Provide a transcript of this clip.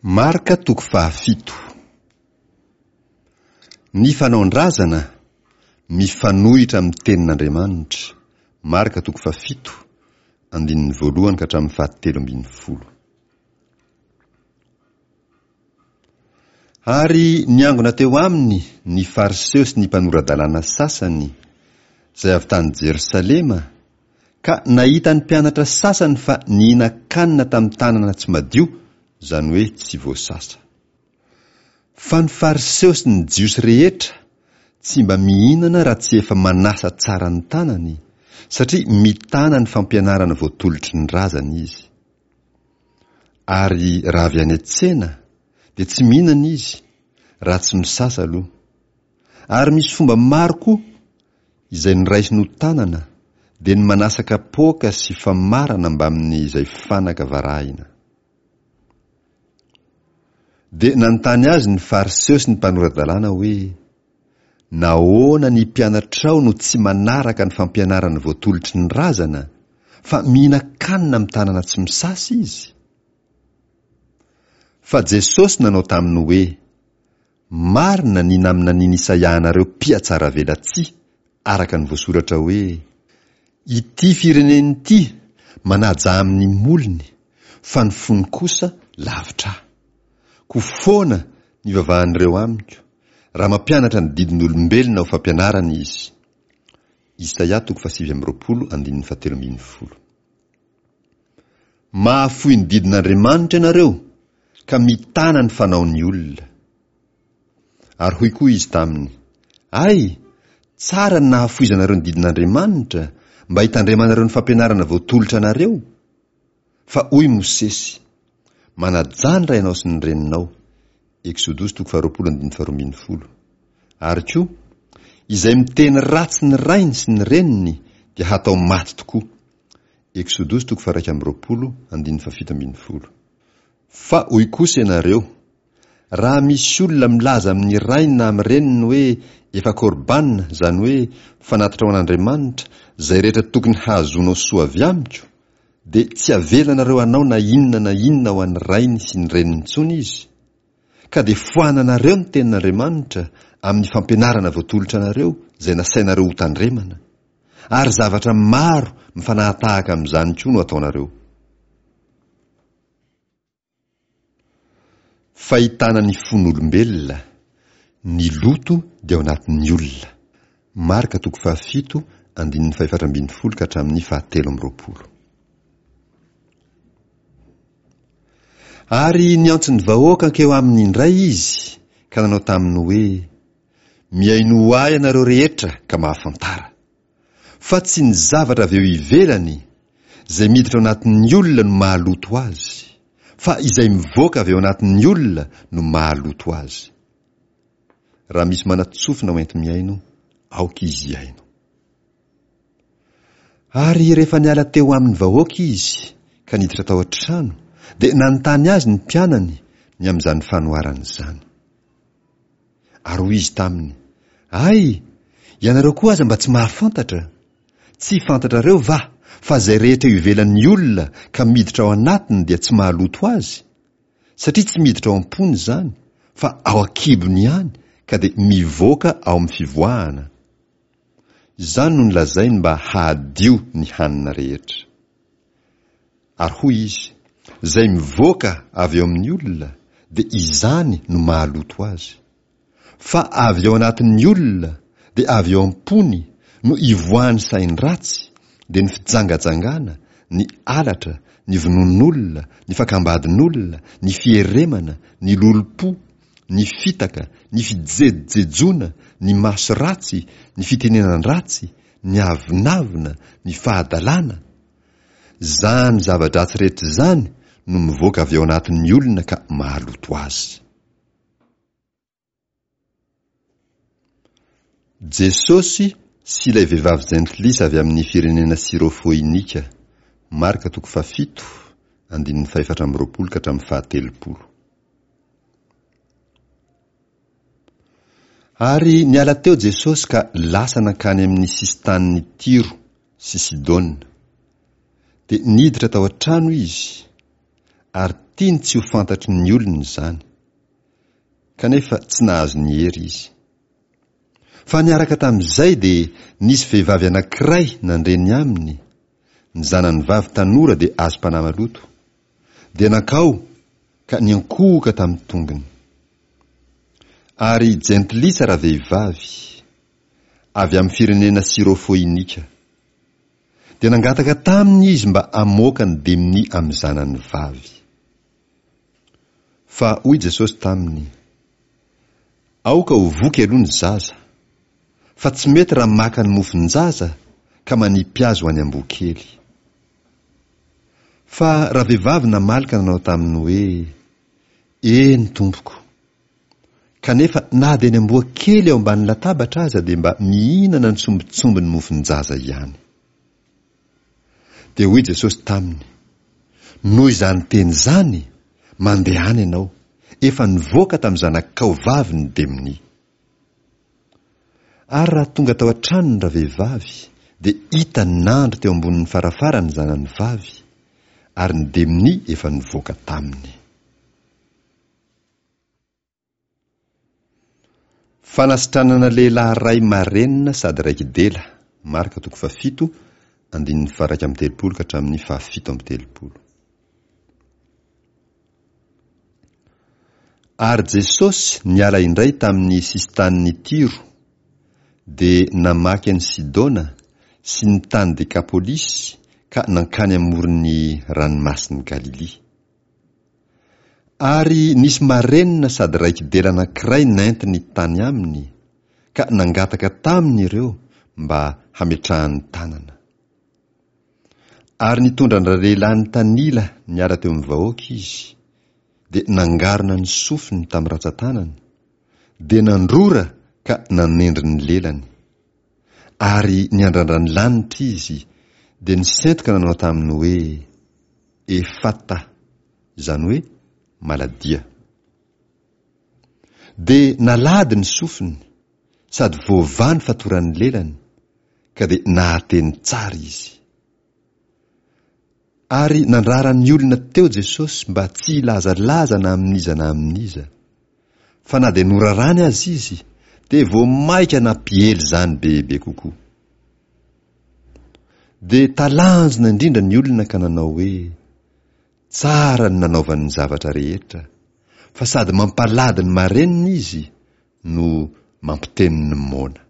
Marka toko fahafito. Ny fanaon-drazana mifanohitra amin'ny tenin'Andriamanitra, Marka toko fahafito, andininy voalohany ka hatramin'ny fahatelo ambin'ny folo. Ary niangona teo aminy ny Fariseo sy ny mpanora-dalàna sasany, izay avy tany Jerosalema, ka nahita ny mpianatra sasany fa nihinan-kanina tamin'ny tanana tsy madio, izany hoe tsy voasasa. Fa ny Fariseo sy ny Jiosy rehetra tsy mba mihinana raha tsy efa manasa tsara ny tanany, satria mitana ny fampianarana voatolotry ny razany izy. Ary raha avy any an-tsena dia tsy mihinana izy raha tsy misasa aloha. Ary misy fomba maro koa izay noraisiny ho tanana dia ny manasa kapoaka sy famarana mbamin'ny izay fanaka varahina. Dia nanontany azy ny Fariseo sy ny mpanora-dalàna hoe, Nahoana ny mpianatrao no tsy manaraka ny fampianarana voatolotry ny razana, fa mihinan-kanina amin'ny tanana tsy misasa izy? Fa Jesosy nanao taminy hoe, Marina ny naminanian'i Isaia anareo mpihatsaravelatsihy, araka ny voasoratra hoe, Ity firenena ity manaja amin'ny molony, fa ny fony kosa lavitra ahy. Koa foana ny ivavahan'ireo amiko, raha mampianatra ny didin'olombelona ho fampianarana izy. Isaia toko fahasivy amby roapolo andininy fahatelo ambin'ny folo. Mahafoy ny didin'Andriamanitra ianareo ka mitana ny fanaon'ny olona. Ary hoy koa izy taminy, Ay, tsara ny nahafoizanareo ny didin'Andriamanitra mba hitandremanareo ny fampianarana voatolotra anareo! Fa hoy Mosesy, Manajà ny rainao sy ny reninao. Eksodosy toko faharoapolo andininy faharoa ambin'ny folo. Ary koa, Izay miteny ratsy ny rainy sy ny reniny dia hatao maty tokoa. Eksodosy toko faha-iraika amby roapolo andininy fahafito ambin'ny folo. Fa hoy kosa ianareo, Raha misy olona milaza amin'ny rainy na amin'ny reniny hoe efa korban, izany hoe fanatitra ho an'Andriamanitra, izay rehetra tokony hahazoanao soa avy amiko, dia tsy avelanareo hanao na inona na inona ho an'ny rainy sy ny reniny intsony izy, ka dia foananareo ny tenin'Andriamanitra amin'ny fampianarana voatolotra anareo izay nasainareo hotandremana, ary zavatra maro mifanahatahaka amin'izany koa no ataonareo. Fahitana ny fon'olombelona, ny loto dia ao anatin'ny olona. Marka toko fahafito andininy fahefatra ambin'ny folo ka hatramin'ny fahatelo amby roapolo. Ary niantso ny vahoaka hankeo aminy indray izy ka nanao taminy hoe, Mihainoa ahy ianareo rehetra ka mahafantara. Fa tsy ny zavatra avy eo ivelany, izay miditra ao anatin'ny olona no mahaloto azy, fa izay mivoaka avy ao anatin'ny olona no mahaloto azy. Raha misy manan-tsofina ho enti-mihaino, aoka izy hihaino. Ary rehefa niala teo amin'ny vahoaka izy ka niditra tao an-trano, dia nanontany azy ny mpianany ny amin'izany fanoharana izany. Ary hoy izy taminy, Ay, ianareo koa aza mba tsy mahafantatra? Tsy fantatrareo va fa izay rehetra eo ivelan'ny olona ka miditra ao anatiny dia tsy mahaloto azy? Satria tsy miditra ao am-pony izany, fa ao an-kibony ihany ka dia mivoaka ao amin'ny fivoahana. Izany no nolazainy mba hahadio ny hanina rehetra. Ary hoy izy, Izay mivoaka avy ao amin'ny olona, dia izany no mahaloto azy. Fa avy ao anatin'ny olona, dia avy ao am-pony, no ivoahan'ny sain-dratsy, dia ny fijangajangana, ny halatra, ny vonoan'olona, ny fakam-badin'olona, ny fieremana, ny lolompo, ny fitaka, ny fijejojejoana, ny maso ratsy, ny fitenenan-dratsy, ny avonavona, ny fahadalana, Izany zava-dratsy rehetra izany no mivoaka avy ao anatin'ny olona ka mahaloto azy. Jesosy sy ilay vehivavy jentilisa avy amin'ny firenena Syrofoinika, Marka toko fahafito, andininy fahefatra amby roapolo ka hatramin'ny fahatelopolo. Ary niala teo Jesosy ka lasa nankany amin'ny sisin-tanin'i Tyro sy Sidona. Dia niditra tao an-trano izy, ary tiany tsy ho fantatry ny olona izany. Kanefa tsy nahazo ny hery izy. Fa niaraka tamin'izay dia nisy vehivavy anankiray nandre ny aminy, ny zanany vavy tanora dia azom-panahy maloto. Dia nankao ka niankohoka tamin'ny tongony. Ary jentilisa ravehivavy, avy amin'ny firenena Syrofoinika. Dia nangataka taminy izy mba hamoaka ny demonia amin'ny zanany vavy. Fa hoy Jesosy taminy, Aoka ho voky aloha ny zaza, fa tsy mety raha maka ny mofon-jaza ka manipy azy ho any amboa kely. Fa ravehivavy namaly ka nanao taminy hoe, Eny, Tompoko. Kanefa na dia ny amboa kely ao ambany latabatra aza dia mba mihinana ny sombintsombin'ny mofon-jaza ihany. Dia hoy Jesosy taminy, Noho izany teny izany, mandehana ianao, efa nivoaka tamin'ny zanakao vavy ny demonia. Ary raha tonga tao an-tranony ravehivavy, dia hitany nandry teo ambonin'ny farafara ny zanany vavy, ary ny demonia efa nivoaka taminy. Fanasitranana lehilahy iray marenina sady raiki-dela, Marka toko fahafito, andininy faha-31 ka hatramin'ny faha-37. Ary Jesosy niala indray tamin'ny sisin-tanin'i Tyro, dia namaky an'i Sidona sy ny tany Dekapolisy ka nankany amoron'ny Ranomasin'i Galilia. Ary nisy marenina sady raiki-dela anankiray nentiny tany aminy, ka nangataka taminy ireo mba hametrahany tanana. Ary nitondra an-dralehilahy nitanila niala teo amin'ny vahoaka izy, dia nangarona ny sofiny tamin'ny rantsantanany, dia nandrora ka nanendry ny lelany. Ary niandrandra ny lanitra izy, dia nisento ka nanao taminy hoe, Efata, izany hoe maladia. Dia nalady ny sofiny, sady voavaha ny fatoran'ny lelany, ka dia nahateny tsara izy. Ary nandrara ny olona teo Jesosy mba tsy hilazalaza na amin'iza na amin'iza. Fa na dia norarany aza izy, dia vao mainka nampiely izany bebe kokoa. Dia talanjona indrindra ny olona ka nanao hoe, Tsara ny nanaovany ny zavatra rehetra, fa sady mampalady ny marenina izy no mampiteny ny moana.